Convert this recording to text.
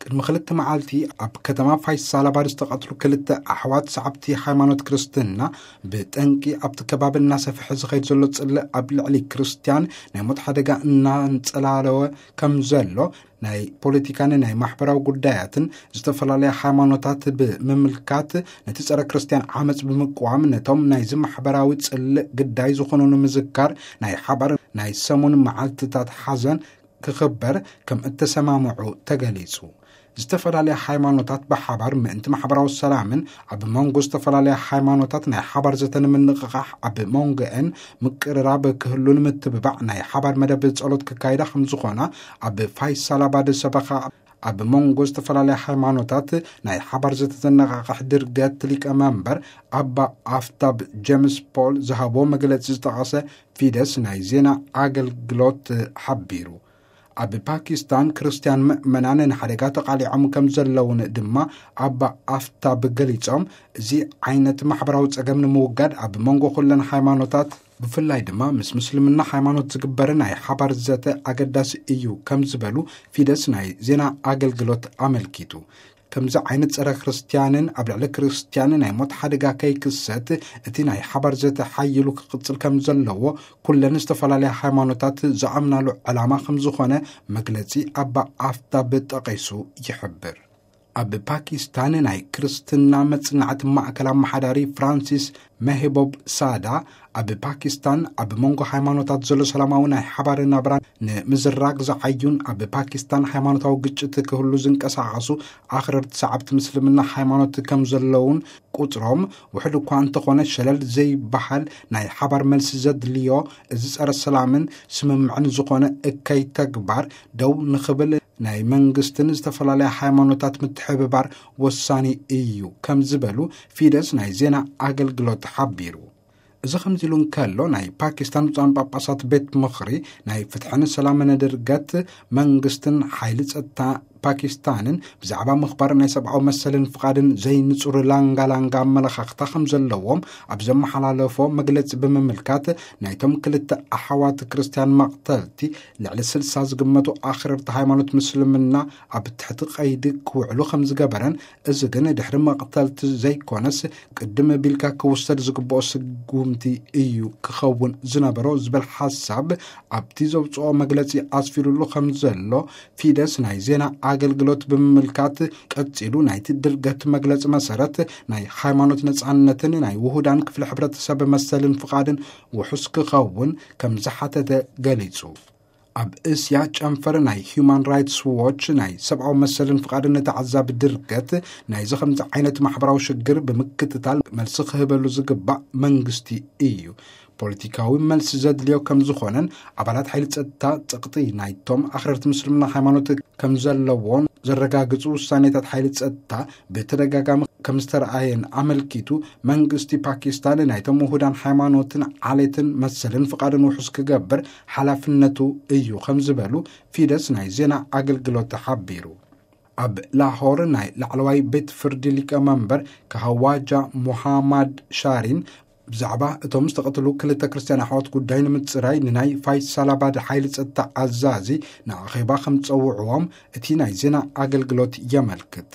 ቅድሚ ክልተ መዓልቲ ኣብ ከተማ ፋይሳላባድ ዝተቐትሉ ክልተ ኣሕዋት ሰዓብቲ ሃይማኖት ክርስትና፣ ብጠንቂ ኣብቲ ከባቢ እናሰፍሐ ዝኸይድ ዘሎ ጽልእ ኣብ ልዕሊ ክርስትያን ናይ ሞት ሓደጋ እናንጸላለወ ከም ዘሎ፣ ናይ ፖለቲካን ናይ ማሕበራዊ ጉዳያትን ዝተፈላለያ ሃይማኖታት ብምምልካት፣ ነቲ ጸረ ክርስትያን ዓመጽ ብምቅዋም፣ ነቶም ናይዚ ማሕበራዊ ጽልእ ግዳይ ዝኾኑ ንምዝካር ናይ ሓባር ናይ ሰሙን መዓልትታት ሓዘን ክኽበር ከም እተሰማምዑ ተገሊጹ። ዝተፈላለያ ሃይማኖታት ብሓባር ምእንቲ ማሕበራዊ ሰላምን ኣብ መንጎ ዝተፈላለያ ሃይማኖታት ናይ ሓባር ዘተ ንምንቕቓሕ፣ ኣብ መንጎአን ምቅርራብ ክህሉ ንምትብባዕ ናይ ሓባር መደብ ጸሎት ክካይዳ ከም ዝኾና፣ ኣብ ፋይሳላባድ ሰበኻ ኣብ መንጎ ዝተፈላለያ ሃይማኖታት ናይ ሓባር ዘተ ዘነቓቕሕ ድርገት ሊቀ መንበር ኣባ ኣፍታብ ጀምስ ፖል ዝሃቦ መግለጺ ዝጠቐሰ ፊደስ ናይ ዜና ኣገልግሎት ሓቢሩ። ኣብ ፓኪስታን ክርስትያን ምእመናን ንሓደጋ ተቓሊዖም ከም ዘለውን ድማ ኣባ ኣፍታብ ገሊጾም፣ እዚ ዓይነት ማሕበራዊ ጸገም ንምውጋድ ኣብ መንጎ ኩለን ሃይማኖታት፣ ብፍላይ ድማ ምስ ምስልምና ሃይማኖት ዝግበር ናይ ሓባር ዘተ ኣገዳሲ እዩ ከም ዝበሉ ፊደስ ናይ ዜና ኣገልግሎት ኣመልኪቱ። ከምዚ ዓይነት ጸረ ክርስትያንን ኣብ ልዕሊ ክርስትያን ናይ ሞት ሓደጋ ከይክሰት፣ እቲ ናይ ሓባር ዘተ ሓይሉ ክቕጽል ከም ዘለዎ ኩለን ዝተፈላለያ ሃይማኖታት ዝኣምናሉ ዕላማ ከም ዝኾነ መግለጺ ኣባ ኣፍታብ ጠቒሱ ይሕብር። ኣብ ፓኪስታን ናይ ክርስትና መጽናዕቲ ማእከል ኣመሓዳሪ ፍራንሲስ መህቦብ ሳዳ፣ ኣብ ፓኪስታን ኣብ መንጎ ሃይማኖታት ዘሎ ሰላማዊ ናይ ሓባር ናብራ ንምዝራግ ዝዓዩን ኣብ ፓኪስታን ሃይማኖታዊ ግጭት ክህሉ ዝንቀሳቐሱ ኣኽረርቲ ሰዓብቲ ምስልምና ሃይማኖት ከም ዘለውን፣ ቁጽሮም ውሕድ እኳ እንተኾነ፣ ሸለል ዘይበሃል ናይ ሓባር መልሲ ዘድልዮ፣ እዚ ጸረ ሰላምን ስምምዕን ዝኾነ እከይ ተግባር ደው ንኽብል ናይ መንግስትን ዝተፈላለያ ሃይማኖታት ምትሕብባር ወሳኒ እዩ ከም ዝበሉ ፊደስ ናይ ዜና ኣገልግሎት ሓቢሩ። እዚ ከምዚ ኢሉ እንከሎ፣ ናይ ፓኪስታን ብፁዓን ጳጳሳት ቤት ምኽሪ ናይ ፍትሕን ሰላምን ድርገት መንግስትን ሓይሊ ጸጥታ ፓኪስታንን ብዛዕባ ምኽባር ናይ ሰብኣዊ መሰልን ፍቓድን ዘይንጹር ላንጋ ላንጋ ኣመለኻኽታ ከም ዘለዎም ኣብ ዘመሓላለፎ መግለጺ ብምምልካት፣ ናይቶም ክልተ ኣሕዋት ክርስትያን መቕተልቲ ልዕሊ ስልሳ ዝግመቱ ኣኽረርቲ ሃይማኖት ምስልምና ኣብ ትሕቲ ቀይዲ ክውዕሉ ከም ዝገበረን፣ እዚ ግን ድሕሪ መቕተልቲ ዘይኮነስ ቅድም ቢልካ ክውሰድ ዝግብኦ ስጉምቲ እዩ ክኸውን ዝነበሮ ዝብል ሓሳብ ኣብቲ ዘውፅኦ መግለፂ ኣስፊሩሉ ከም ዘሎ ፊደስ ናይ ዜና ኣገልግሎት ብምምልካት፣ ቀፂሉ ናይቲ ድርገት መግለፂ መሰረት ናይ ሃይማኖት ነፃነትን ናይ ውሁዳን ክፍሊ ሕብረተሰብ መሰልን ፍቓድን ውሑስ ክኸውን ከም ዝሓተተ ገሊፁ። ኣብ እስያ ጨንፈር ናይ ሂዩማን ራይትስ ዎች ናይ ሰብኣዊ መሰልን ፍቓድን ተዓዛቢ ድርገት፣ ናይዚ ከምዚ ዓይነት ማሕበራዊ ሽግር ብምክትታል መልሲ ክህበሉ ዝግባእ መንግስቲ እዩ። ፖለቲካዊ መልሲ ዘድልዮ ከም ዝኾነን፣ ኣባላት ሓይሊ ጸጥታ ጸቕጢ ናይቶም ኣኽረርቲ ምስልምና ሃይማኖት ከም ዘለዎን ዘረጋግጹ ውሳኔታት ሓይሊ ጸጥታ ብተደጋጋሚ ከም ዝተረኣየን ኣመልኪቱ፣ መንግስቲ ፓኪስታን ናይቶም ውሁዳን ሃይማኖትን ዓሌትን መሰልን ፍቓድን ውሑስ ክገብር ሓላፍነቱ እዩ ከም ዝበሉ ፊደስ ናይ ዜና ኣገልግሎት ሓቢሩ። ኣብ ላሆር ናይ ላዕለዋይ ቤት ፍርዲ ሊቀ መንበር ካሃዋጃ ሙሃማድ ሻሪን ብዛዕባ እቶም ዝተቐትሉ ክልተ ክርስትያን ኣሕዋት ጉዳይ ንምጽራይ ንናይ ፋይሳላባድ ሓይሊ ጸጥታ ኣዛዚ ንኣኼባ ከም ጸውዕዎም እቲ ናይ ዜና ኣገልግሎት የመልክት።